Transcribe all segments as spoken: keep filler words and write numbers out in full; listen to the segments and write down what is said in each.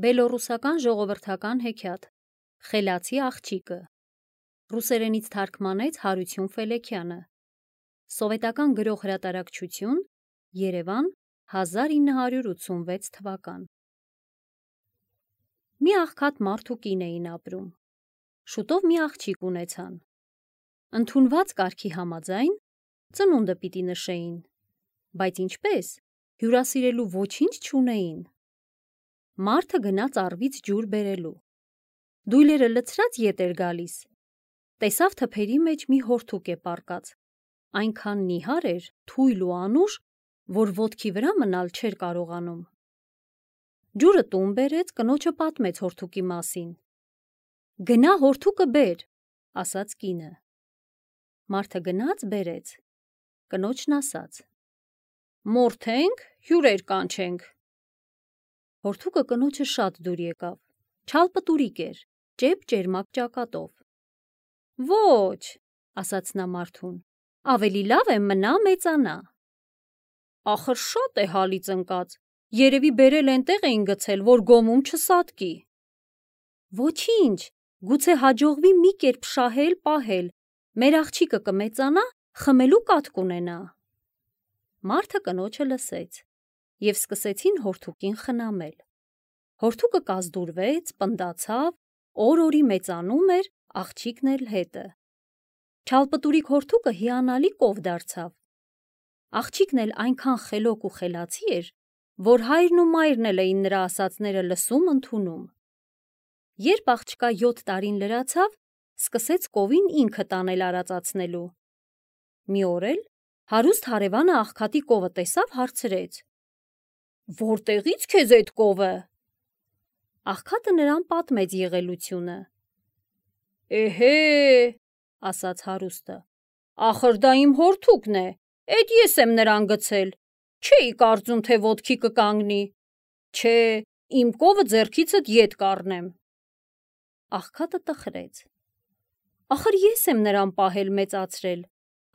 Բելոռուսական ժողովրդական հեքիաթ Խելացի աղջիկը Ռուսերենից թարգմանեց Հարություն Ֆելեքյանը Սովետական գրող հրատարակչություն Երևան հազար ինը հարյուր ութսունվեց թվական Մի աղքատ մարդ ու կին էին ապրում Շուտով մի աղջիկ ունեցան Ընդունված կարգի համաձայն ծնունդը պիտի նշեին Բայց ինչպես հյուրասիրելու ոչինչ չունեին Մարդը գնաց առվից ջուր բերելու Դույլերը լցրած ետ էր գալիս Տեսավ թփերի մեջ մի հորթուկ է պառկած Այնքան նիհար էր, թույլ ու անուշ, որ ոտքի վրա մնալ չէր կարողանում Ջուրը տուն բերեց, կնոջը պատմեց հորթուկի մասին Գնա հորթուկը բեր, ասաց կինը Մարդը գնաց բերեց Կնոջն ասաց Մորթենք, հյուրեր կանչենք Հորթուկը կնոջը շատ դուր եկավ, չալպտուրիկ էր, ճեպ ճերմակ ճակատով Ոչ, ասաց նա մարդուն, ավելի լավ է մնա մեծանա Ախր շատ է հալից ընկած, երևի բերել ենտեղ էին գցել, որ գոմում չսատկի Ոչինչ, գուցե հաջողվի մի կերպ շահել, պահել, մեր աղջիկը կմեծանա, խմելու կաթ կունենա Մարդը կնոջը լսեց Եվ սկսեցին հորթուկին խնամել Հորթուկը կազդուրվեց, պնդացավ, օր-օրի մեծանում էր, աղջիկն էլ հետը Չալպտուրիկ հորթուկը հիանալի կով դարձավ Աղջիկն էլ այնքան խելոք ու խելացի էր, որ հայրն ու մայրն էլ էին նրա ասածները լսում, ընդունում Երբ աղջկա յոթ տարին լրացավ, սկսեց կովին ինքը տանել արածացնելու Մի օր էլ հարուստ հարևանը աղքատի կովը տեսավ, հարցրեց Որտեղի՞ց քեզ էդ կովը Աղքատը նրան պատմեց եղելությունը Էհե, ասաց հարուստը, ախր դա իմ հորթուկն է, էդ ես եմ նրան գցել, չէի կարծում, թե ոտքի կկանգնի, չէ, իմ կովը ձեռքիցդ ետ կառնեմ Աղքատը տխրեց Ախր ես եմ նրան պահել մեծացրել,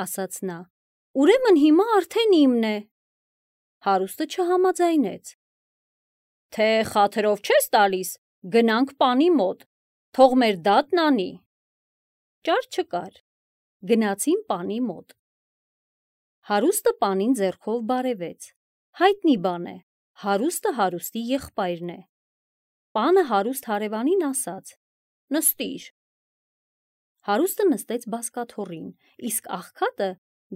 ասաց նա, ուրեմն հիմա արդեն իմն է Հարուստը չհամաձայնեց Թե խաթրով չես տալիս, գնանք պանի մոտ, թող մեր դատն անի Ճար չկար, գնացին պանի մոտ Հարուստը պանին ձեռքով բարևեց Հայտնի բան է, հարուստը հարուստի եղբայրն է Պանը հարուստ հարևանին ասաց Նստիր Հարուստը նստեց բազկաթոռին, իսկ աղքատը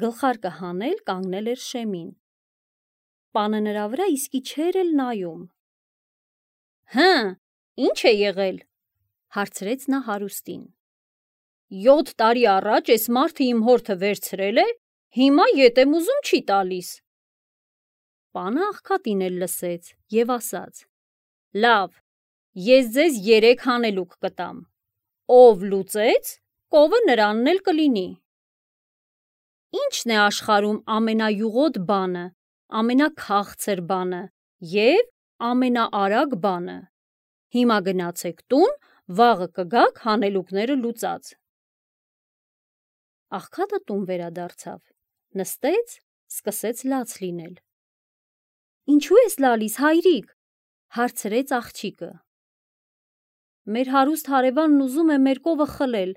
գլխարկը հանել կանգնել էր շեմին Պանը նրա վրա իսկի չէր էլ նայում Հը, ինչ է եղել, հարցրեց նա հարուստին Յոթ տարի առաջ էս մարդը իմ հորթը վերցրել է, հիմա ետ եմ ուզում չի տալիս Պանը աղքատին էլ լսեց և ասաց Լավ, ես ձեզ երեք հանելուկ կտամ Ով լուծեց, կովը նրանն էլ կլինի Ի՞նչն է աշխարհում ամենայուղոտ բանը, ամենաքաղցր բանը և ամենաարագ բանը Հիմա գնացեք տուն, վաղը կգաք հանելուկները լուծած Աղքատը տուն վերադարձավ, նստեց, սկսեց լաց լինել Ինչու ես լալիս, հայրիկ, հարցրեց աղջիկը Մեր հարուստ հարևանն ուզում է մեր կովը խլել,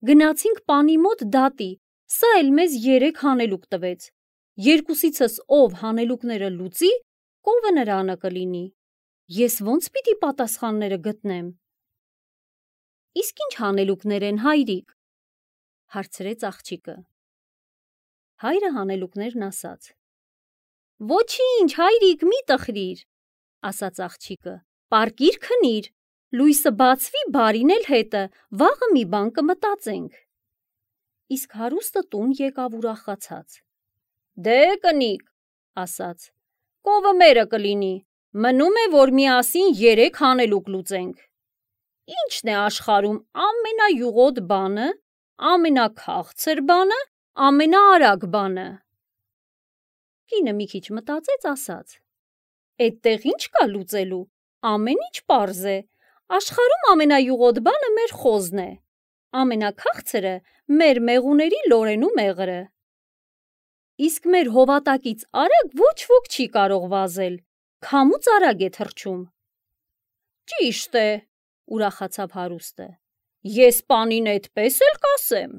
գնացինք պանի մոտ դատի, սա էլ մեզ երեք հանելուկ տվեց Երկուսիցս ով հանելուկները լուծի, կովը նրանը կլինի Ես ոնց պիտի պատասխանները գտնեմ Իսկ ինչ հանելուկներ են, հայրիկ, հարցրեց աղջիկը Հայրը հանելուկներն ասաց Ոչինչ, հայրիկ, մի տխրիր, ասաց աղջիկը, պառկիր քնիր, լույսը բացվի, բարին էլ հետը, վաղը մի բան կմտածենք Իսկ հարուստը տուն եկավ ուրախացած Դե կնիկ, ասաց, կովը մերը կլինի, մնում է, որ միասին երեք հանելուկ լուծենք Ի՞նչն է աշխարհում ամենայուղոտ բանը, ամենաքաղցր բանը, ամենաարագ բանը Կինը մի քիչ մտածեց, ասաց Էդտեղ ինչ կա լուծելու, ամեն ինչ պարզ է, աշխարհում ամենայուղոտ բանը մեր խոզն է, ամենաքաղցրը մեր մեղուների լորենու մեղրը Իսկ մեր հովատակից արագ ոչ ոք չի կարող վազել, քամուց արագ է թռչում Ճիշտ է, ուրախացավ հարուստը, ես պանին այդպես էլ կասեմ։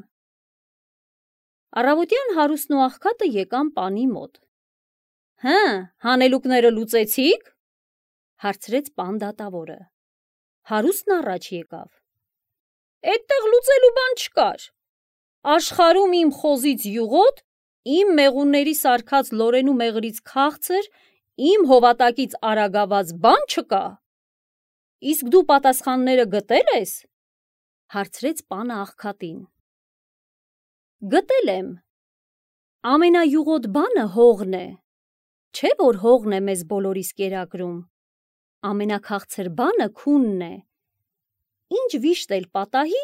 Առավոտյան հարուստն ու աղքատը եկան պանի մոտ։ Հը, հանելուկները լուծեցի՞ք, հարցրեց պան դատավորը։ Հարուստն առաջ եկավ։ Էդտեղ լուծելու բան չկար։ Աշխարհում իմ խոզից յուղոտ, իմ մեղունների սարքած լորենու մեղրից քաղցր, իմ հովատակից արագաված բան չկա։ Իսկ դու պատասխանները գտել ես, հարցրեց պանը աղքատին։ Գտել եմ։ Ամենայուղոտ բանը հողն է, չէ՞ որ հողն է մեզ բոլորիս կերակրում։ Ամենաքաղցր բանը քունն է։ Ինչ վիշտ էլ պատահի,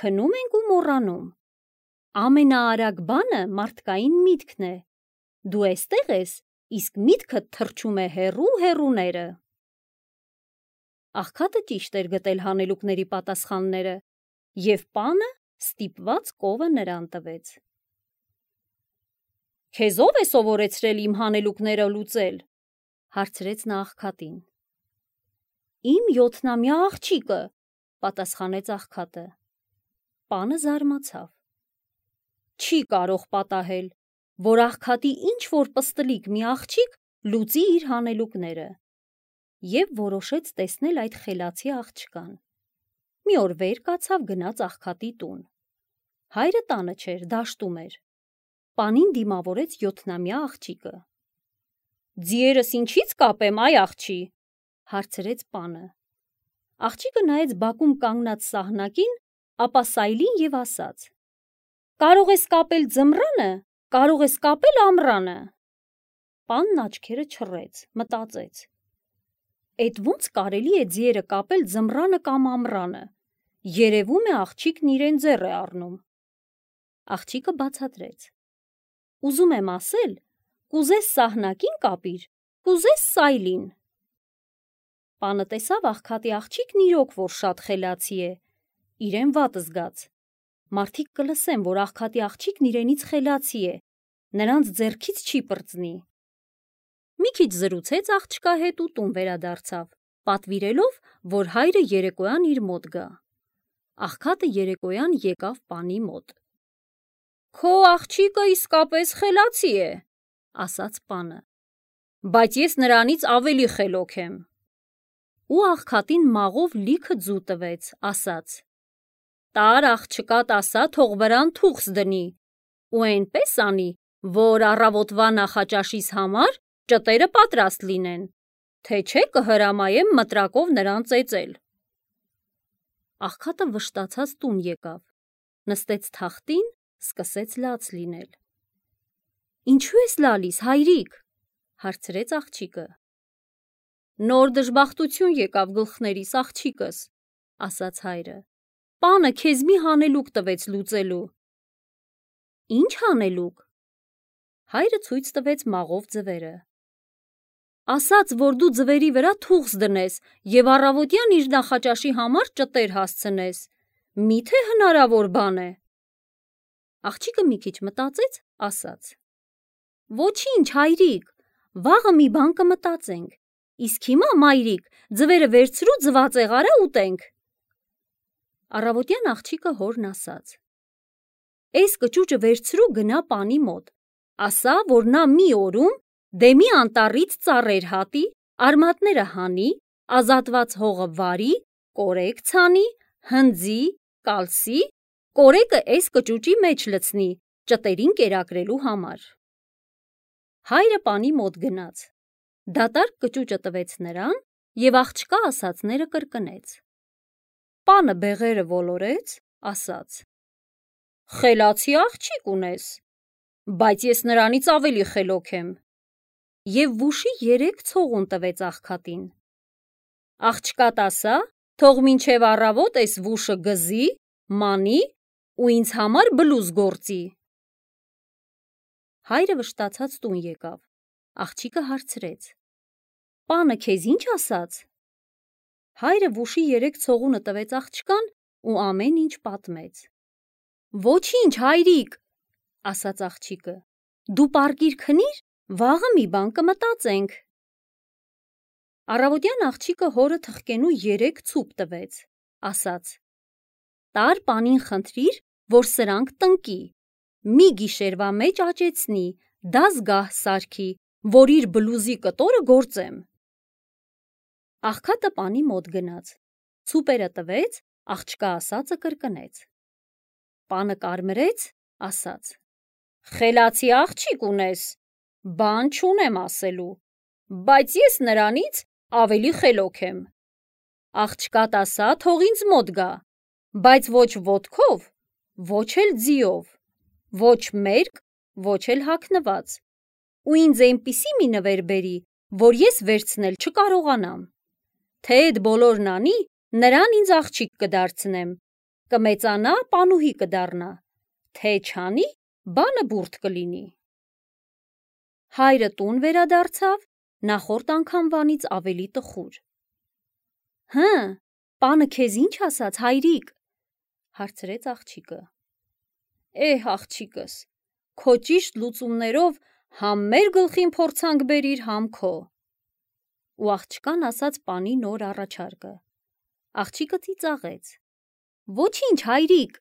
քնում ենք ու մոռանում։ Ամենաարագ բանը մարդկային միտքն է։ Դու էստեղ ես, իսկ միտքդ թռչում է հեռու հեռուները։ Աղքատը ճիշտ էր գտել հանելուկների պատասխանները, և պանը ստիպված կովը նրան տվեց։ Քեզ ո՞վ է սովորեցրել իմ հանելուկները լուծել, հարցրեց նա աղքատին։ Իմ յոթնամյա աղջիկը, պատասխանեց աղքատը։ Պանը զարմացավ։ Չի կարող պատահել, որ աղքատի ինչ-որ պստլիկ մի աղջիկ լուծի իր հանելուկները, և որոշեց տեսնել այդ խելացի աղջկան։ Մի օր վեր կացավ, գնաց աղքատի տուն։ Հայրը տանը չէր, դաշտում էր։ Պանին դիմավորեց յոթնամյա աղջիկը։ Ձիերս ինչի՞ց կապեմ, այ աղջի, հարցրեց պանը։ Աղջիկը նայեց բակում կանգնած սահնակին, ապա սայլին և ասաց. Կարող ես կապել ձմռանը, կարող ես կապել ամռանը։ Պանն աչքերը չռեց, մտածեց. Էդ ո՞նց կարելի է ձիերը կապել ձմռանը կամ ամռանը։ Երևում է աղջիկն իրեն ձեռ է առնում։ Աղջիկը բացատրեց. Ուզում եմ ասել, կուզես սահնակին կապիր, կուզես սայլին։ Պանը տեսավ աղքատի աղջիկն իրոք որ շատ խելացի է, իրեն վատ զգաց։ Մարդիկ կլսեն, որ աղքատի աղջիկն իրենից խելացի է, նրանց ձեռքից չի պրծնի։ Մի քիչ զրուցեց աղջկա հետ ու տուն վերադարձավ, պատվիրելով, որ հայրը երեկոյան իր մոտ գա։ Աղքատը երեկոյան եկավ պանի մոտ։ Քո աղջիկը իսկապես խելացի է, ասաց պանը, բայց ես նրանից ավելի խելոք եմ։ Ու աղքատին մաղով լիքը ձու տվեց, ասաց. Տար աղջկատ ասա, թող վրան թուղս դնի, ու այնպես անի, որ առավոտվա նախաճաշիս համար ճտերը պատրաստ լինեն, թե չէ կհրամայեմ մտրակով նրան ծեծել։ Աղքատը վշտացած տուն եկավ, նստեց թախտին, սկսեց լաց լինել։ Ինչու ես լալիս, հայրիկ, հարցրեց աղջիկը։ Նոր դժբախտություն եկավ գլխներիս, աղջիկս, ասաց հայրը։ Պանը քեզ մի հանելուկ տվեց լուծելու։ Ինչ հանելուկ։ Հայրը ցույց տվեց մաղով ձվերը։ Ասաց, որ դու ձվերի վրա թուղս դնես և առավոտյան իր նախաճաշի համար ճտեր հասցնես։ Մի՞թե հնարավոր բան է։ Աղջիկը մի քիչ մտածեց, ասաց. Ոչինչ, հայրիկ, վաղը մի բան կմտածենք, իսկ հիմա, մայրիկ, ձվերը վերցրու, ձվածեղ արա ուտենք։ Առավոտյան աղջիկը հորն ասաց. Էս կճուճը վերցրու գնա պանի մոտ, ասա, որ նա մի օրում դեմի անտառից ծառեր հատի, արմատները հանի, ազատված հողը վարի, կորեկ ցանի, հնձի, կալսի, կորեկը էս կճուճի մեջ լցնի, ճտերին կերակրելու համար։ Հայրը պանի մոտ գնաց, դատարկ կճուճը տվեց նրան և աղջկա ասածները կրկնեց։ Պանը բեղերը ոլորեց, ասաց. Խելացի աղջիկ ունես, բայց ես նրանից ավելի խելոք եմ։ Եվ վուշի երեք ցողուն տվեց աղքատին։ Աղջկատ ասա, թող մինչև առավոտ էս վուշը գզի, մանի ու ինձ համար բլուզ գործի։ Հայրը վշտացած տուն եկավ, աղջիկը հարցրեց. Պանը քեզ ինչ ասաց։ Հայրը վուշի երեք ցողունը տվեց աղջկան ու ամեն ինչ պատմեց։ Ոչինչ, հայրիկ, ասաց աղջիկը, դու պարկիր քնիր, վաղը մի բան կմտածենք։ Առավոտյան աղջիկը հորը թխկենու երեք ցուպ տվեց, ասաց. «Տար պանին խնդրիր, որ սրանք տնկի, մի գիշերվա մեջ աճեցնի, դա զգահ սարքի, որ իր բլուզի կտորը գործեմ»։ Աղքատը պանի մոտ գնաց, ցուպերը տվեց, աղջկա ասածը կրկնեց։ Պանը կարմրեց, ասաց. «Խելացի աղջիկ ունես, բան չունեմ ասելու, բայց ես նրանից ավելի խելոք եմ։ Աղջկատ ասա, թող ինձ մոտ գա, բայց ոչ ոտքով, ոչ էլ ձիով, ոչ մերկ, ոչ էլ հագնված, ու ինձ այնպիսի մի նվեր բերի, որ ես վերցնել չկարողանամ։ Թե էդ բոլորն անի, նրան ինձ աղջիկ կդարձնեմ, կմեծանա, պանուհի կդառնա, թե չանի, բանը բուրդ կլինի»։ Հայրը տուն վերադարձավ, նախորդ անգամվանից ավելի տխուր։ «Հը, պանը քեզ ինչ ասաց, հայրիկ», հարցրեց աղջիկը։ «Էհ, աղջիկս, քո ճիշտ լուծումներով համ մեր գլխին փորձանք բերիր, համ քո»։ Ու աղջկան ասաց պանի նոր առաջարկը։ Աղջիկը ծիծաղեց. «Ոչինչ, հայրիկ,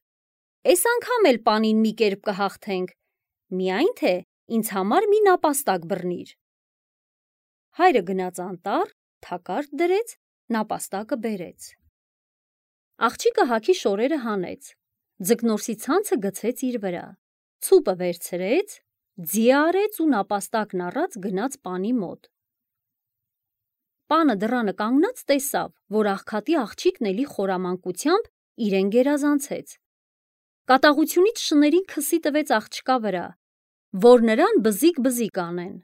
էս անգամ էլ պանին մի կերպ կհաղթենք, միայն թե ինձ համար մի նապաստակ բռնիր»։ Հայրը գնաց անտառ, թակարդ դրեց, նապաստակը բերեց։ Աղջիկը հագի շորերը հանեց, ձկնորսի ցանցը գցեց իր վրա, ցուպը վերցրեց, ձի արեց ու նապաստակն առած գնաց պանի մոտ։ Պանը դռանը կանգնած տեսավ, որ աղքատի աղջիկն էլի խորամանկությամբ իրեն գերազանցեց։ Կատաղությունից շներին քսի տվեց աղջկա վրա, որ նրան բզիկ-բզիկ անեն։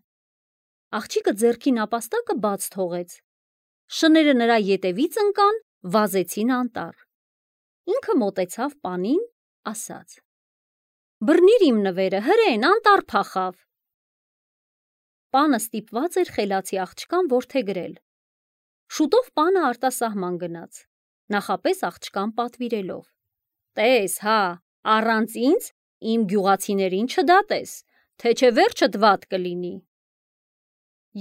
Աղջիկը ձեռքի նապաստակը բաց թողեց, շները նրա ետևից ընկան, վազեցին անտառ։ Ինքը մոտեցավ պանին, ասաց. «Բռնիր իմ նվերը, հրեն, անտառ փախավ»։ Պանը ստիպված էր խելացի աղջկան որդեգրել։ Շուտով պանը արտասահման գնաց, նախապես աղջկան պատվիրելով. «Տես, հա, առանց ինձ իմ գյուղացիներին չդատես, թե չէ վերջդ վատ կլինի»։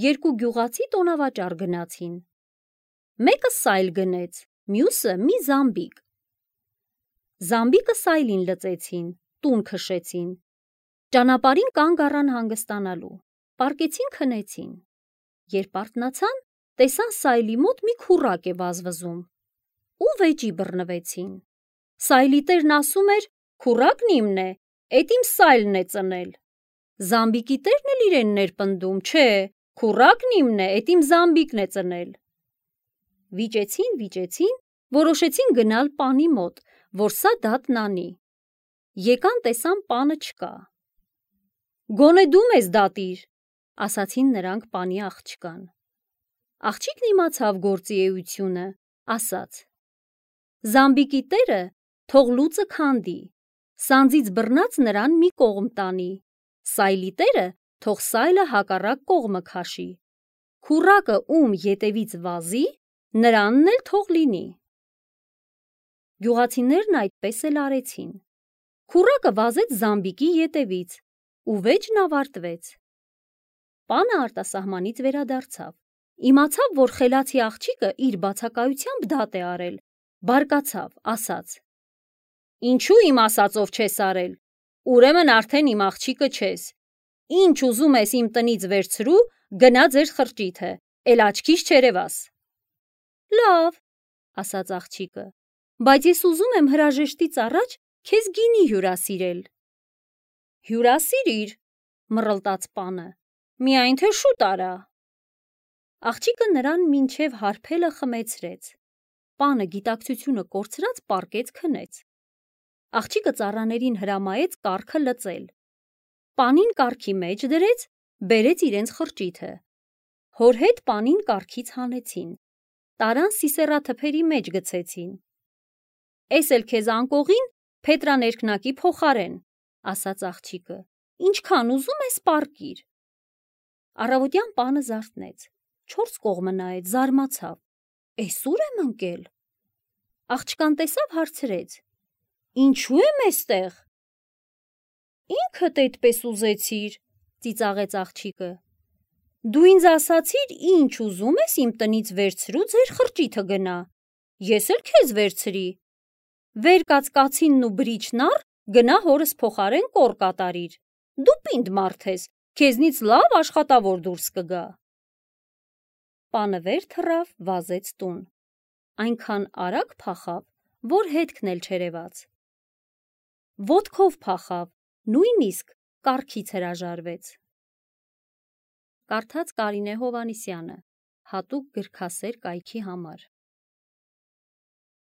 Երկու գյուղացի տոնավաճառ գնացին։ Մեկը սայլ գնեց, մյուսը մի զամբիկ։ Զամբիկը սայլին լծեցին, տուն քշեցին։ Ճանապարհին կանգ առան հանգստանալու, պառկեցին քնեցին։ Երբ արթնացան, տեսան սայլի մոտ մի քուռակ է վազվզում ու վեճի բռնվեցին։ Սայլի տերն ասում էր. «Քուռակն իմն է, էդ իմ սայլն է ծնել»։ Զամբիկի տերն էլ իրենն էր պնդում. «Չէ, քուռակն իմն է, էդ իմ զամբիկն է ծնել»։ Վիճեցին, վիճեցին, որոշեցին գնալ պանի մոտ, որ սա դատն անի։ Եկան, տեսան պանը չկա։ «Գոնե դու մեզ դատիր», ասացին նրանք պանի աղջկան։ Աղջիկն իմացավ գործի էությունը, ասաց. «Զամբիկի տերը թող լուծը քանդի, սանձից բռնած նրան մի կողմ տանի, սայլի տերը թող սայլը հակառակ կողմը քաշի, քուռակը ում ետևից վազի, նրանն էլ թող լինի»։ Գյուղացիներն այդպես էլ արեցին։ Քուռակը վազեց զամբիկի ետևից, ու վեճն ավարտվեց։ Պանը արտասահմանից վերադարձավ, իմացավ, որ խելացի աղջիկը իր բացակայությամբ դատ է արել, բարկացավ, ասաց. «Ինչու իմ ասածով չես արել, ուրեմն արդեն իմ աղջիկը չես, ինչ ուզում ես իմ տնից վերցրու, գնա ձեր խրճիթը, էլ աչքիս չերևաս»։ «Լավ», ասաց աղջիկը, «բայց ես ուզում եմ հրաժեշտից առաջ քեզ գինի հյուրասիրել»։ «Հյուրասիրիր», մռլտաց պանը, «միայն թե շուտ արա»։ Աղջիկը նրան մինչև հարբելը խմեցրեց։ Պանը գիտակցությունը կորցրած պառկեց քնեց։ Աղջիկը ծառաներին հրամայեց կառքը լծել։ Պանին կառքի մեջ դրեց, բերեց իրենց խրճիթը։ Հոր հետ պանին կառքից հանեցին, տարան սիսեռաթփերի մեջ գցեցին։ «Էս էլ քեզ անկողին փետրաներկնակի փոխարեն», ասաց աղջիկը, «ինչքան ուզում ես պառկիր»։ Առավոտյան պանը զարթնեց, չորս կողմը նայեց, զարմացավ. «Էս ուր եմ ընկել»։ Աղջկան տեսավ, հարցրեց. «Ինչու եմ էստեղ»։ «Ինքդ էդպես ուզեցիր», ծիծաղեց աղջիկը։ Դու ինձ ասացիր, ինչ ուզում ես իմ տնից վերցրու ձեր խրճիթը գնա, ես էլ քեզ վերցրի, վեր կաց կացինն ու բրիչն առ, գնա հորս փոխարեն կոր կատարիր, դու պինդ մարդ ես, քեզնից լավ աշխատավոր դուրս կգա։ Պանը վեր թռավ, վազեց տուն, այնքան արագ փախավ, որ հետքն էլ չերևաց։ Ոտքով փախավ, նույնիսկ կառքից հրաժարվեց։ Կարդաց Կարինե Հովհաննիսյանը, հատուկ գրքասեր կայքի համար։